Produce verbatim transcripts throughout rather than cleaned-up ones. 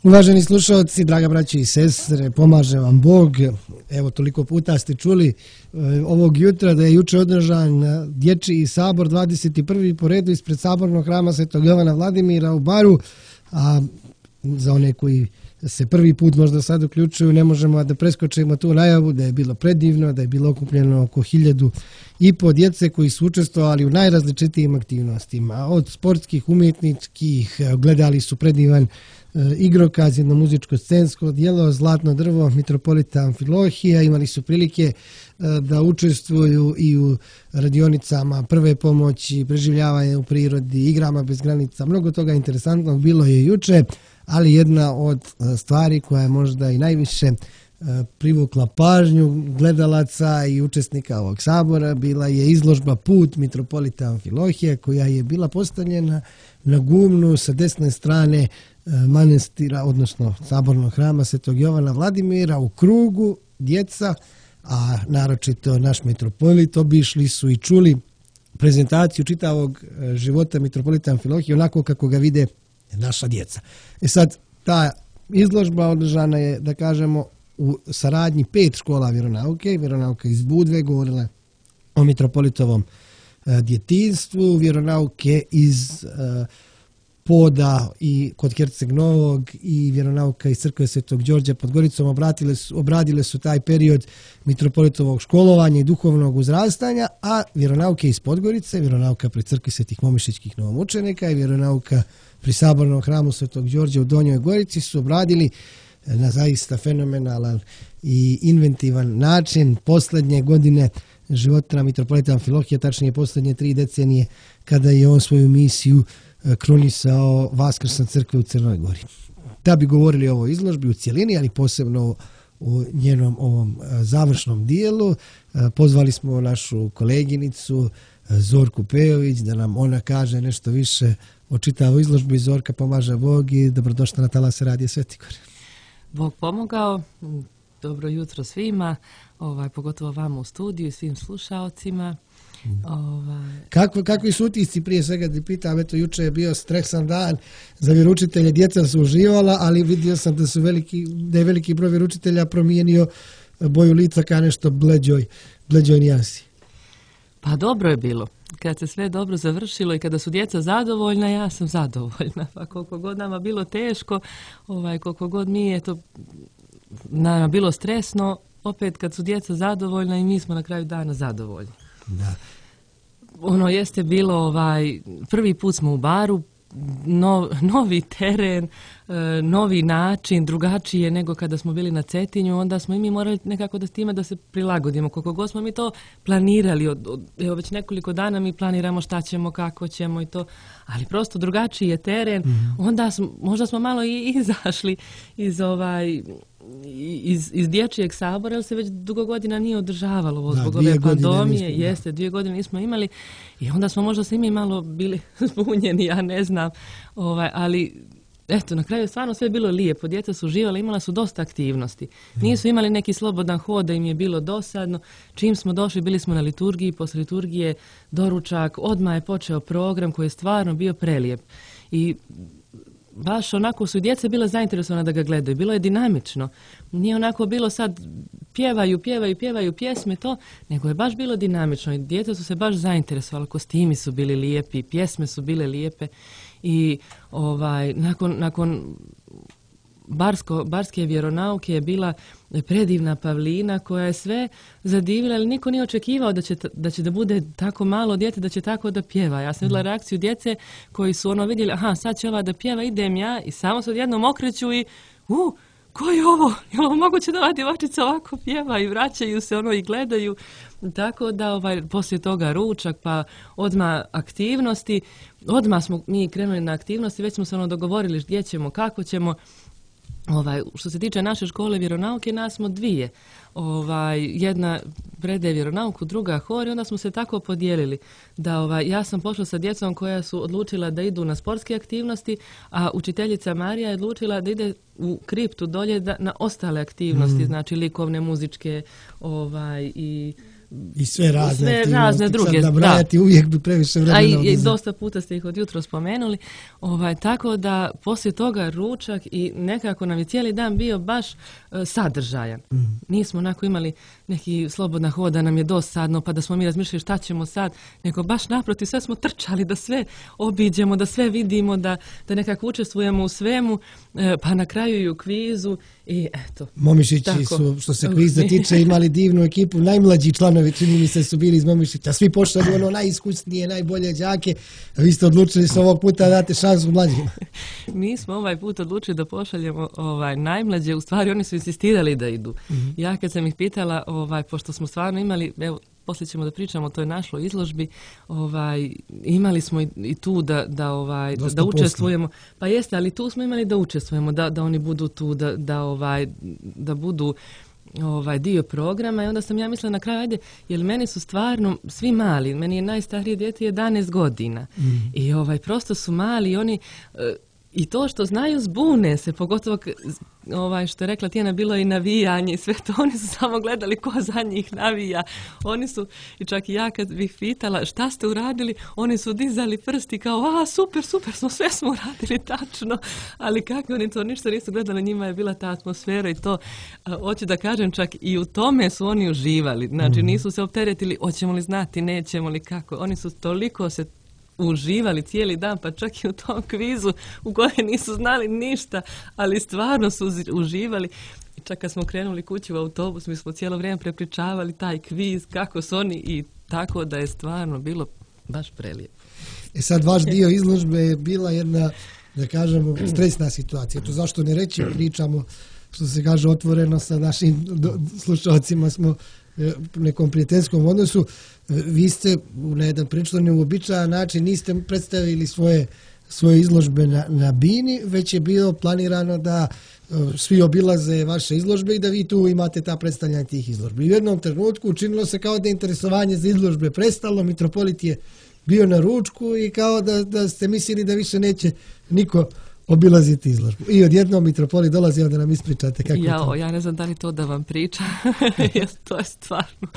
Uvaženi slušalci, draga braće i sestre, pomaže vam Bog. Evo, toliko puta ste čuli ovog jutra da je juče održan dječji sabor dvadeset prvi po redu ispred sabornog hrama Svetog Jovana Vladimira u Baru, a za one koji se prvi put možda sad uključuju, ne možemo da preskočimo tu najavu da je bilo predivno, da je bilo okupljeno oko hiljadu i po djece koji su učestvovali u najrazličitijim aktivnostima. Od sportskih, umjetničkih, gledali su predivan igrokaz, jedno muzičko-scensko djelo, Zlatno drvo, mitropolita Amfilohija, imali su prilike da učestvuju i u radionicama prve pomoći, preživljavanje u prirodi, igrama bez granica, mnogo toga interesantnog bilo je juče, ali jedna od stvari koja je možda i najviše privukla pažnju gledalaca i učesnika ovog sabora bila je izložba Put mitropolita Amfilohija, koja je bila postavljena na gumnu sa desne strane manastira, odnosno sabornog hrama Svetog Jovana Vladimira, u krugu djeca, a naročito naš mitropolit obišli su i čuli prezentaciju čitavog života mitropolita Amfilohija onako kako ga vide naša djeca. E sad, ta izložba održana je, da kažemo, u saradnji pet škola vjeronauke, vjeronauka iz Budve, govorila o mitropolitovom djetinjstvu, vjeronauke iz Poda i kod Herceg Novog i vjeronauka iz crkve Svetog Đorđa pod Goricom obratile su, obradile su taj period mitropolitovog školovanja i duhovnog uzrastanja, a vjeronauke iz Podgorice, vjeronauka pri crkvi Svetih Momišićkih novomučenika i vjeronauka pri sabornom hramu Svetog Đorđa u Donjoj Gorici su obradili na zaista fenomenalan i inventivan način posljednje godine života mitropolita Amfilohija, tačnije posljednje tri decenije kada je on svoju misiju krunisao Vaskršnja crkve u Crnoj Gori. Da bi govorili o ovoj izložbi u cijelini, ali posebno u njenom ovom završnom dijelu, pozvali smo našu koleginicu Zorku Pejović da nam ona kaže nešto više o čitavoj izložbi. Zorka, pomaže Bog i dobrodošla na talase Radija Svetigor. Bog pomogao, dobro jutro svima, ovaj, pogotovo vama u studiju i svim slušaocima. Ovaj... Kako, kakvi su utisci prije svega da pitam, eto juče je bio stresan dan za vjeroučitelje, djeca su uživala, ali vidio sam da, su veliki, da je veliki broj vjeroučitelja promijenio boju lica ka nešto bleđoj, bleđoj nijansi. Pa dobro je bilo. Kad se sve dobro završilo i kada su djeca zadovoljna, ja sam zadovoljna. Pa koliko god nama bilo teško, ovaj, koliko god mi je to nama bilo stresno, opet kad su djeca zadovoljna i mi smo na kraju dana zadovoljni. Da. Ono jeste bilo, ovaj, prvi put smo u Baru, no, novi teren, novi način, drugačije nego kada smo bili na Cetinju, onda smo i mi morali nekako da s time da se prilagodimo. Koliko god smo mi to planirali, od, od, evo već nekoliko dana mi planiramo šta ćemo, kako ćemo i to, ali prosto drugačiji je teren, mm-hmm. onda smo, možda smo malo i izašli iz ovaj... Iz, iz dječjeg sabora, jer se već dugo godina nije održavalo ovo zbog ove pandemije. Jeste, dvije godine nismo imali i onda smo možda svi mi malo bili zbunjeni, ja ne znam. Ovaj, ali eto, na kraju stvarno sve je bilo lijepo. Djeca su uživali, imala su dosta aktivnosti. Nisu imali neki slobodan hod da im je bilo dosadno. Čim smo došli, bili smo na liturgiji, posle liturgije doručak, odmah je počeo program koji je stvarno bio prelijep. I baš onako su djeca bila zainteresovana da ga gledaju. Bilo je dinamično. Nije onako bilo sad pjevaju, pjevaju, pjevaju pjesme to, nego je baš bilo dinamično. I djeca su se baš zainteresovala. Kostimi su bili lijepi, pjesme su bile lijepe. I ovaj, nakon, nakon Barsko, barske vjeronauke je bila predivna Pavlina koja je sve zadivila, ali niko nije očekivao da će, da će da bude tako malo djete, da će tako da pjeva. Ja sam vidjela reakciju djece koji su ono vidjeli, aha, sad će ova da pjeva, idem ja, i samo se odjednom okreću i u, ko je ovo? Je li ovo moguće da ova djevačica ovako pjeva i vraćaju se ono i gledaju. Tako da ovaj, poslije toga ručak, pa odmah aktivnosti, odmah smo mi krenuli na aktivnosti, već smo se ono dogovorili gdje ćemo, kako ćemo. Ovaj, što se tiče naše škole vjeronauke, nas smo dvije. Ovaj, jedna predaje vjeronauku, druga hor, i onda smo se tako podijelili da ovaj, ja sam pošla sa djecom koja su odlučila da idu na sportske aktivnosti, a učiteljica Marija je odlučila da ide u kriptu dolje da, na ostale aktivnosti, mm. znači likovne, muzičke ovaj, i I sve razne, sve razne druge. Sad nabrajati da. Uvijek bi previše vremena. A i, i dosta puta ste ih od jutro spomenuli. Ovaj, tako da poslije toga ručak i nekako nam je cijeli dan bio baš uh, sadržajan. Mm. Nismo onako imali neki slobodna hoda, nam je dosadno, pa da smo mi razmišljali šta ćemo sad, nego baš naprotiv, sve smo trčali da sve obiđemo, da sve vidimo, da, da nekako učestvujemo u svemu, uh, pa na kraju i u kvizu. I eto. Momišići tako. Su, što se kviza tiče, imali divnu ekipu. Najmlađi članovi, čini mi se, su bili iz Momišića. Svi pošalju ono najiskusnije, najbolje đake. A vi ste odlučili se ovog puta date šansu mlađima. Mi smo ovaj put odlučili da pošaljemo ovaj, najmlađe. U stvari, oni su insistirali da idu. Mm-hmm. Ja kad sam ih pitala, ovaj, pošto smo stvarno imali, evo, poslije ćemo da pričamo o toj našoj izložbi, ovaj, imali smo i, i tu da, da, ovaj, da, da učestvujemo. Pa jeste, ali tu smo imali da učestvujemo, da, da oni budu tu, da, da, ovaj, da budu ovaj dio programa i onda sam ja mislila na kraju, ajde, jer meni su stvarno svi mali, meni je najstarije dijete jedanaest godina mm. i ovaj prosto su mali i oni i to što znaju zbune se, pogotovo ovaj, što je rekla Tijana, bilo je i navijanje i sve to, oni su samo gledali ko za njih navija. Oni su, i čak i ja kad bih pitala šta ste uradili, oni su dizali prsti kao, a super, super, smo sve smo uradili tačno, ali kako oni to ništa nisu gledali, njima je bila ta atmosfera i to, a, hoću da kažem, čak i u tome su oni uživali, znači nisu se opteretili, hoćemo li znati, nećemo li kako, oni su toliko se uživali cijeli dan, pa čak i u tom kvizu u kojem nisu znali ništa, ali stvarno su uživali. I čak kad smo krenuli kući u autobus, mi smo cijelo vrijeme prepričavali taj kviz, kako su oni i tako da je stvarno bilo baš prelijepo. E sad, vaš dio izložbe je bila jedna, da kažemo, stresna situacija. To zašto ne reći, pričamo, što se kaže, otvoreno sa našim slušalcima, smo u nekom prijateljskom odnosu. Vi ste na jedan prilično neuobičajan način niste predstavili svoje, svoje izložbe na, na bini, već je bilo planirano da svi obilaze vaše izložbe i da vi tu imate ta predstavljanja tih izložbi. U jednom trenutku učinilo se kao da je interesovanje za izložbe prestalo, mitropolit je bio na ručku i kao da, da ste mislili da više neće niko obilaziti izložbu. I odjednom mitropolit dolazi da nam ispričate kako ja, to. Ja ne znam da li to da vam priča. To je stvarno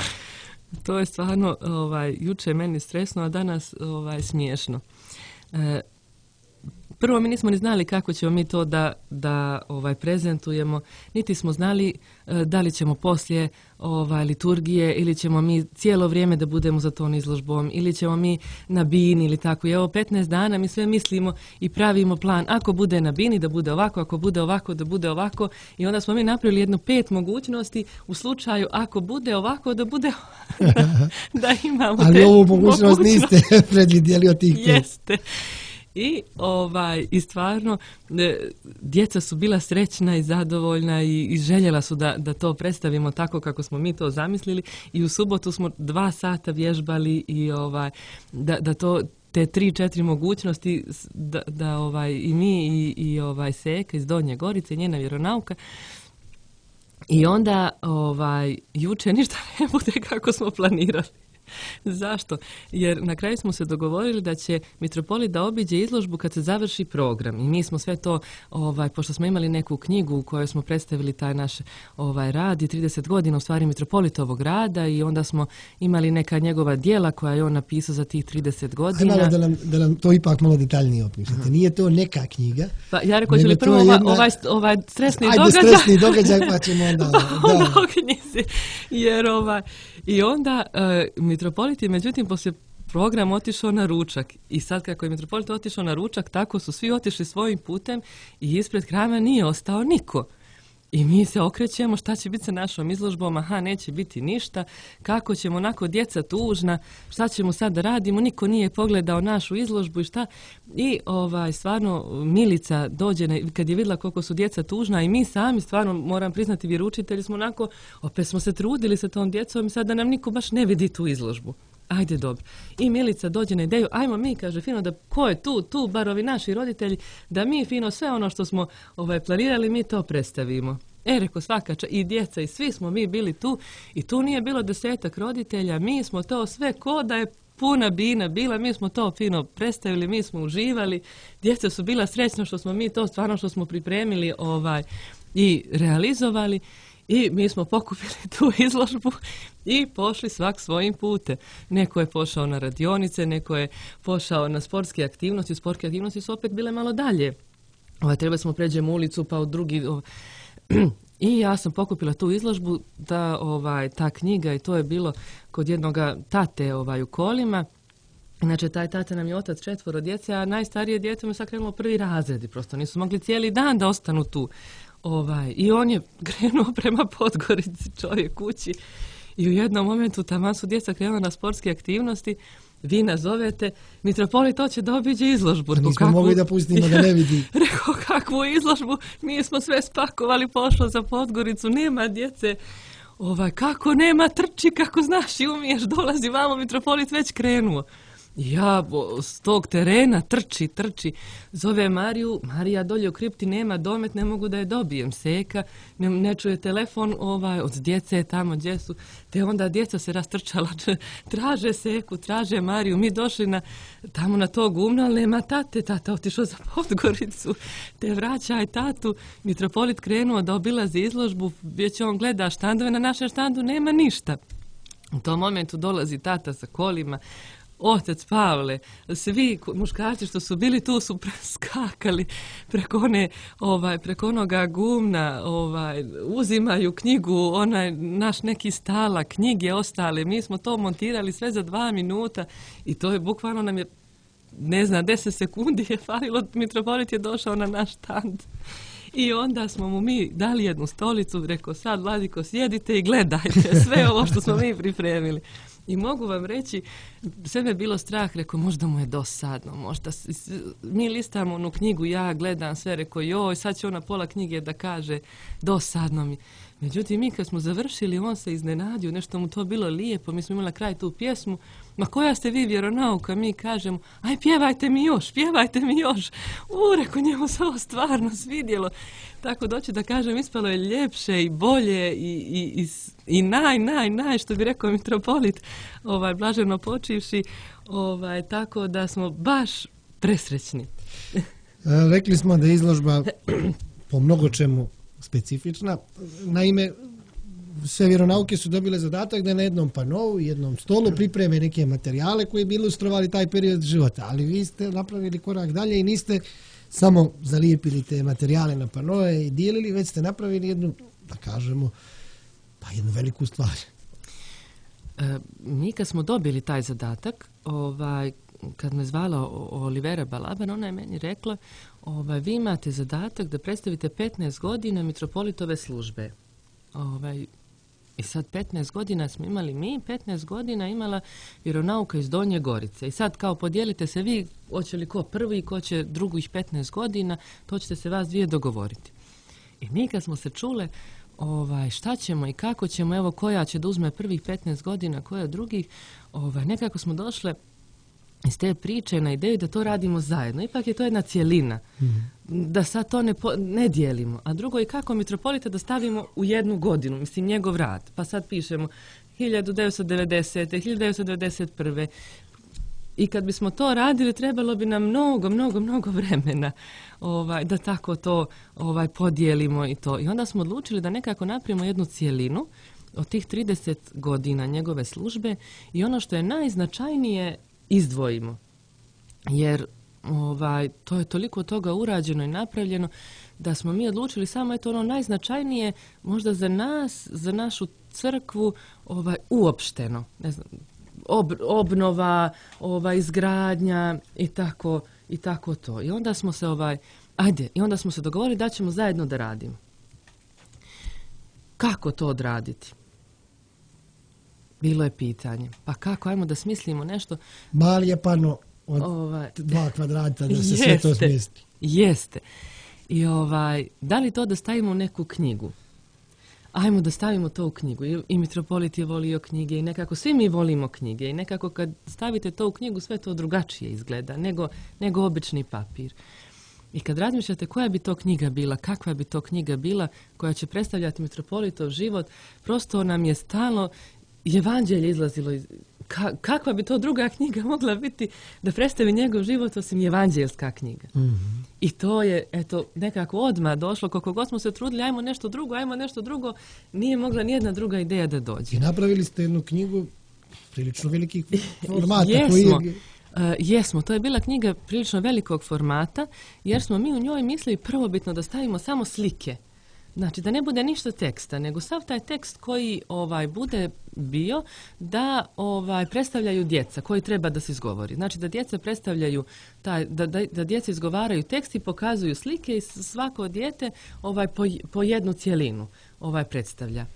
to je stvarno ovaj, juče je meni stresno, a danas ovaj, smiješno. E, prvo mi nismo ni znali kako ćemo mi to da, da ovaj, prezentujemo, niti smo znali e, da li ćemo poslije ovaj, liturgije ili ćemo mi cijelo vrijeme da budemo za tom izložbom ili ćemo mi na bini ili tako. I evo petnaest dana mi sve mislimo i pravimo plan. Ako bude na bini da bude ovako, ako bude ovako da bude ovako i onda smo mi napravili jedno pet mogućnosti u slučaju ako bude ovako da bude da imamo ali te ovu mogućnost niste predvidjeli od tih pet. Jeste. I, ovaj, i stvarno e, djeca su bila srećna i zadovoljna i, i željela su da, da to predstavimo tako kako smo mi to zamislili i u subotu smo dva sata vježbali i ovaj, da, da to te tri, četiri mogućnosti da, da ovaj, i mi i, i ovaj Seka iz Donje Gorice, njena vjeronauka. I onda ovaj, juče ništa ne bude kako smo planirali. Zašto? Jer na kraju smo se dogovorili da će mitropolit da obiđe izložbu kad se završi program i mi smo sve to, ovaj, pošto smo imali neku knjigu u kojoj smo predstavili taj naš ovaj, rad i trideset godina u stvari mitropolitovog rada i onda smo imali neka njegova djela koja je on napisao za tih trideset godina. Ajmo da nam, da nam to ipak malo detaljnije opišete. Uh-huh. Nije to neka knjiga. Pa ja rekao, će li prvo jedna... ovaj, ovaj stresni Ajde, događaj? Ajde, stresni događaj pa ćemo onda... onda o knjizi. Jer ovaj... I onda uh, mitropolit je međutim poslije program otišao na ručak i sad kako je mitropolit otišao na ručak tako su svi otišli svojim putem i ispred hrama nije ostao niko. I mi se okrećemo šta će biti sa našom izložbom, aha, neće biti ništa, kako ćemo onako djeca tužna, šta ćemo sad da radimo, niko nije pogledao našu izložbu i šta. I ovaj, stvarno Milica dođe, kad je vidjela koliko su djeca tužna i mi sami, stvarno moram priznati vjeroučitelji smo onako, opet smo se trudili sa tom djecom i sad da nam niko baš ne vidi tu izložbu. Ajde, dobro. I Milica dođe na ideju, ajmo mi, kaže, fino, da ko je tu, tu, bar ovi naši roditelji, da mi, fino, sve ono što smo ovaj, planirali, mi to predstavimo. E, reko, svaka ča, i djeca, i svi smo mi bili tu, i tu nije bilo desetak roditelja, mi smo to sve, ko da je puna bina bila, mi smo to fino predstavili, mi smo uživali, djeca su bila srećna što smo mi to, stvarno što smo pripremili ovaj, i realizovali. I mi smo pokupili tu izložbu i pošli svak svojim putem. Neko je pošao na radionice, neko je pošao na sportske aktivnosti. Sportske aktivnosti su opet bile malo dalje. Ovaj, trebali smo pređemo ulicu pa u drugi... Ovaj. I ja sam pokupila tu izložbu, da ovaj, ta knjiga, i to je bilo kod jednog tate ovaj, u Kolima. Znači, taj tata nam je otac četvoro djece, a najstarije djete mu sad krenulo prvi razred i prosto nisu mogli cijeli dan da ostanu tu. Ovaj, I on je krenuo prema Podgorici, čovjek kući. I u jednom momentu taman su djeca krenula na sportske aktivnosti, vi nazovete, mitropolit hoće da obiđe izložbu. Nismo kakvu... mogli da pustimo da ne vidi. Rekao, kakvu izložbu? Mi smo sve spakovali, pošlo za Podgoricu, nema djece. Ovaj, kako nema, trči, kako znaš i umiješ, dolazi vamo, mitropolit već krenuo. Ja s tog terena trči, trči, zove Mariju, Marija dolje u kripti, nema domet, ne mogu da je dobijem, seka, ne, ne čuje telefon ovaj, od djece tamo gdje su, te onda djeca se rastrčala, traže seku, traže Mariju, mi došli na, tamo na to gumno, ali nema tate, tata otišao za Podgoricu, te vraćaj tatu, mitropolit krenuo da obilazi izložbu, već on gleda štandove, na našem štandu nema ništa. U tom momentu dolazi tata sa kolima, otac Pavle, svi muškarci što su bili tu su skakali preko one, ovaj, preko onoga gumna, ovaj, uzimaju knjigu, onaj naš neki stala, knjige ostale, mi smo to montirali sve za dva minuta i to je bukvalno nam je, ne znam, deset sekundi je falilo, mitropolit je došao na naš štand. I onda smo mu mi dali jednu stolicu, rekao sad Vladiko sjedite i gledajte sve ovo što smo mi pripremili. I mogu vam reći, sve me bilo strah, rekao možda mu je dosadno, možda mi listamo onu knjigu, ja gledam sve, rekao joj, sad će ona pola knjige da kaže dosadno mi. Međutim, mi kad smo završili, on se iznenadio, nešto mu to bilo lijepo, mi smo imali na kraju tu pjesmu, ma koja ste vi vjeronauka, mi kažemo, aj pjevajte mi još, pjevajte mi još. U, rekao, njemu se ovo stvarno svidjelo. Tako doći da kažem, ispalo je ljepše i bolje i, i, i, i naj, naj, naj, što bi rekao mitropolit, ovaj, blaženo počivši, ovaj, tako da smo baš presrećni. Rekli smo da je izložba po mnogo čemu specifična. Naime, sve vjeronauke su dobile zadatak da na jednom panovu, jednom stolu pripreme neke materijale koji bi ilustrovali taj period života. Ali vi ste napravili korak dalje i niste samo zalijepili te materijale na panove i dijelili, već ste napravili jednu, da kažemo, pa jednu veliku stvar. E, mi kad smo dobili taj zadatak, ovaj, kad me zvala Olivera Balaban, ona je meni rekla, ovaj, vi imate zadatak da predstavite petnaest godina mitropolitove službe. Ovaj, I sad petnaest godina smo imali mi, petnaest godina imala vjeronauka iz Donje Gorice. I sad kao podijelite se vi, hoće li ko prvi, ko će drugih petnaest godina, to ćete se vas dvije dogovoriti. I mi kad smo se čule ovaj, šta ćemo i kako ćemo, evo koja će da uzme prvih petnaest godina, koja drugih, ovaj, nekako smo došle iz te priče na ideju da to radimo zajedno. Ipak je to jedna cijelina. Mm. Da sad to ne, po, ne dijelimo. A drugo je kako mitropolita da stavimo u jednu godinu, mislim njegov rad. Pa sad pišemo hiljadu devetsto devedesete. hiljadu devetsto devedeset prve. I kad bismo to radili, trebalo bi nam mnogo, mnogo, mnogo vremena ovaj, da tako to ovaj, podijelimo i to. I onda smo odlučili da nekako napravimo jednu cijelinu od tih trideset godina njegove službe i ono što je najznačajnije izdvojimo. Jer ovaj, to je toliko toga urađeno i napravljeno da smo mi odlučili samo eto ono najznačajnije možda za nas, za našu crkvu ovaj, uopšteno. Ne znam, ob, obnova, ovaj, izgradnja i tako, i tako to. I onda smo se ovaj, ajde, i onda smo se dogovorili da ćemo zajedno da radimo. Kako to odraditi? Bilo je pitanje. Pa kako, ajmo da smislimo nešto. Mali je pano od ovaj, dva kvadrata da se jeste, sve to smjesti. Jeste. I ovaj, da li to da stavimo u neku knjigu? Ajmo da stavimo to u knjigu. I, i mitropolit je volio knjige i nekako svi mi volimo knjige i nekako kad stavite to u knjigu sve to drugačije izgleda nego, nego obični papir. I kad razmišljate koja bi to knjiga bila, kakva bi to knjiga bila koja će predstavljati mitropolitov život, prosto nam je stalno evanđelje izlazilo iz, ka, kakva bi to druga knjiga mogla biti da predstavi njegov život osim evanđelska knjiga. Mm-hmm. I to je, eto, nekako odmah došlo, koliko god smo se trudili, ajmo nešto drugo, ajmo nešto drugo, nije mogla nijedna druga ideja da dođe. I napravili ste jednu knjigu prilično velikih formata. Jesmo. Koji je... Uh, jesmo, to je bila knjiga prilično velikog formata, jer smo mi u njoj mislili prvobitno da stavimo samo slike. Znači, da ne bude ništa teksta, nego sav taj tekst koji ovaj bude bio da ovaj predstavljaju djeca koji treba da se izgovori. Znači, da djeca predstavljaju taj, da, da, da djeca izgovaraju tekst i pokazuju slike i svako dijete ovaj po, po jednu cjelinu ovaj predstavlja.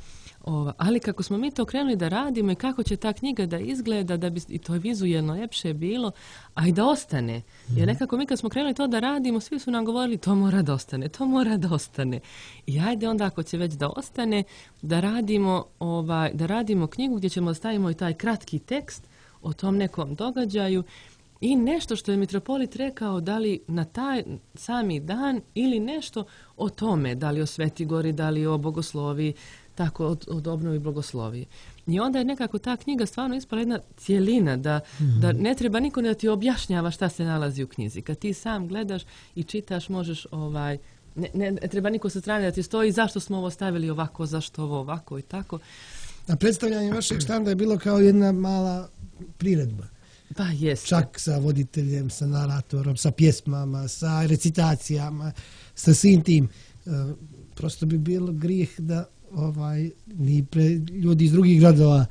Ova, ali kako smo mi to krenuli da radimo i kako će ta knjiga da izgleda, da bi i to vizuelno ljepše bilo, a i da ostane. Jer nekako mi kad smo krenuli to da radimo, svi su nam govorili to mora da ostane, to mora da ostane. I ajde onda ako će već da ostane, da radimo, ovaj, da radimo knjigu gdje ćemo stavimo i taj kratki tekst o tom nekom događaju i nešto što je mitropolit rekao, da li na taj sami dan ili nešto o tome, da li o Sveti Gori, da li o Bogosloviji, tako od, od obnovi blagoslovije. I onda je nekako ta knjiga stvarno ispala jedna cijelina, da, mm-hmm. da ne treba niko da ti objašnjava šta se nalazi u knjizi. Kad ti sam gledaš i čitaš, možeš, ovaj, ne, ne, ne treba niko sa strane da ti stoji zašto smo ovo stavili ovako, zašto ovo ovako i tako. A predstavljanje vašeg štanda je bilo kao jedna mala priredba. Pa jeste. Čak sa voditeljem, sa naratorom, sa pjesmama, sa recitacijama, sa svim tim. E, prosto bi bilo grijeh da ovaj ni pre, ljudi iz drugih gradova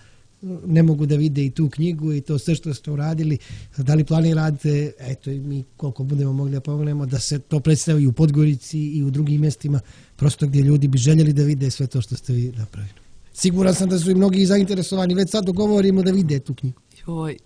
ne mogu da vide i tu knjigu i to sve što ste uradili. Da li planirate, eto i mi koliko budemo mogli da pomognemo, da se to predstavi i u Podgorici i u drugim mjestima, prosto gdje ljudi bi željeli da vide sve to što ste vi napravili. Siguran sam da su i mnogi zainteresovani, već sad dogovorimo da vide tu knjigu. Joj,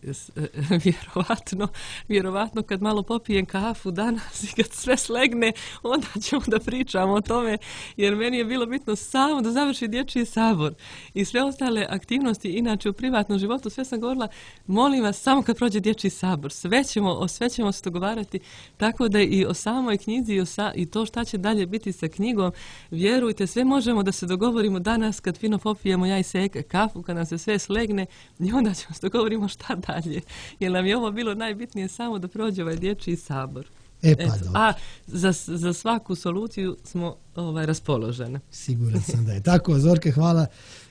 vjerovatno, vjerovatno kad malo popijem kafu danas i kad sve slegne, onda ćemo da pričamo o tome, jer meni je bilo bitno samo da završi dječji sabor i sve ostale aktivnosti, inače u privatnom životu, sve sam govorila, molim vas, samo kad prođe dječji sabor, sve ćemo, o sve ćemo se dogovarati, tako da i o samoj knjizi i, o sa, i to šta će dalje biti sa knjigom, vjerujte, sve možemo da se dogovorimo danas kad fino popijemo ja i Seka kafu, kad nam se sve slegne i onda ćemo se dogovorimo šta dalje, jer nam je ovo bilo najbitnije samo da prođe ovaj dječji sabor. E pa dobro. A za, za svaku soluciju smo ovaj, raspoložene. Siguran sam da je tako. Zorka, hvala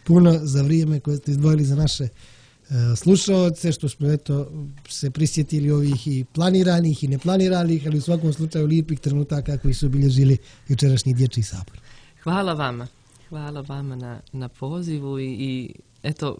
puno za vrijeme koje ste izdvojili za naše uh, slušaoce, što smo eto se prisjetili ovih i planiranih i neplaniranih, ali u svakom slučaju lijepih trenutaka koji su obilježili jučerašnji dječji sabor. Hvala vama. Hvala vama na, na pozivu i, i eto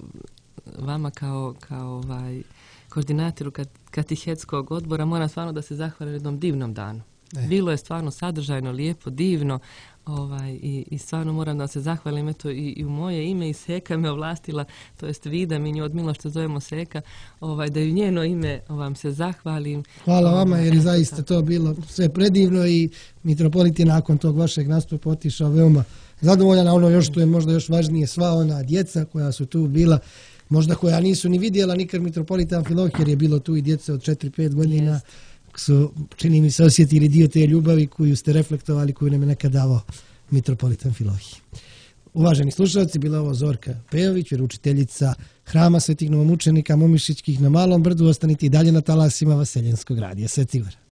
vama kao, kao ovaj, koordinatoru katehetskog odbora moram stvarno da se zahvalim jednom divnom danu. E. Bilo je stvarno sadržajno, lijepo, divno ovaj, i, i stvarno moram da se zahvalim eto, i, i u moje ime i Seka me ovlastila, to jest Vida, mi nju od milo što zovemo Seka, ovaj, da ju njeno ime vam se zahvalim. Hvala vama jer je zaista tako. To bilo sve predivno i mitropolit je nakon tog vašeg nastupa otišao veoma zadovoljan, a ono još što je možda još važnije, sva ona djeca koja su tu bila, možda koja nisu ni vidjela nikad mitropolita Amfilohije, jer je bilo tu i djeca od četiri pet godina, yes. Su, čini mi se, osjetili dio te ljubavi koju ste reflektovali, koju nam je nekad davao mitropolit Amfilohije. Uvaženi slušalci, bila ovo Zorka Pejović, vjeroučiteljica Hrama Svetih novomučenika Momišićkih na Malom Brdu. Ostanite i dalje na talasima Vaseljenskog radija. Sveti Gor.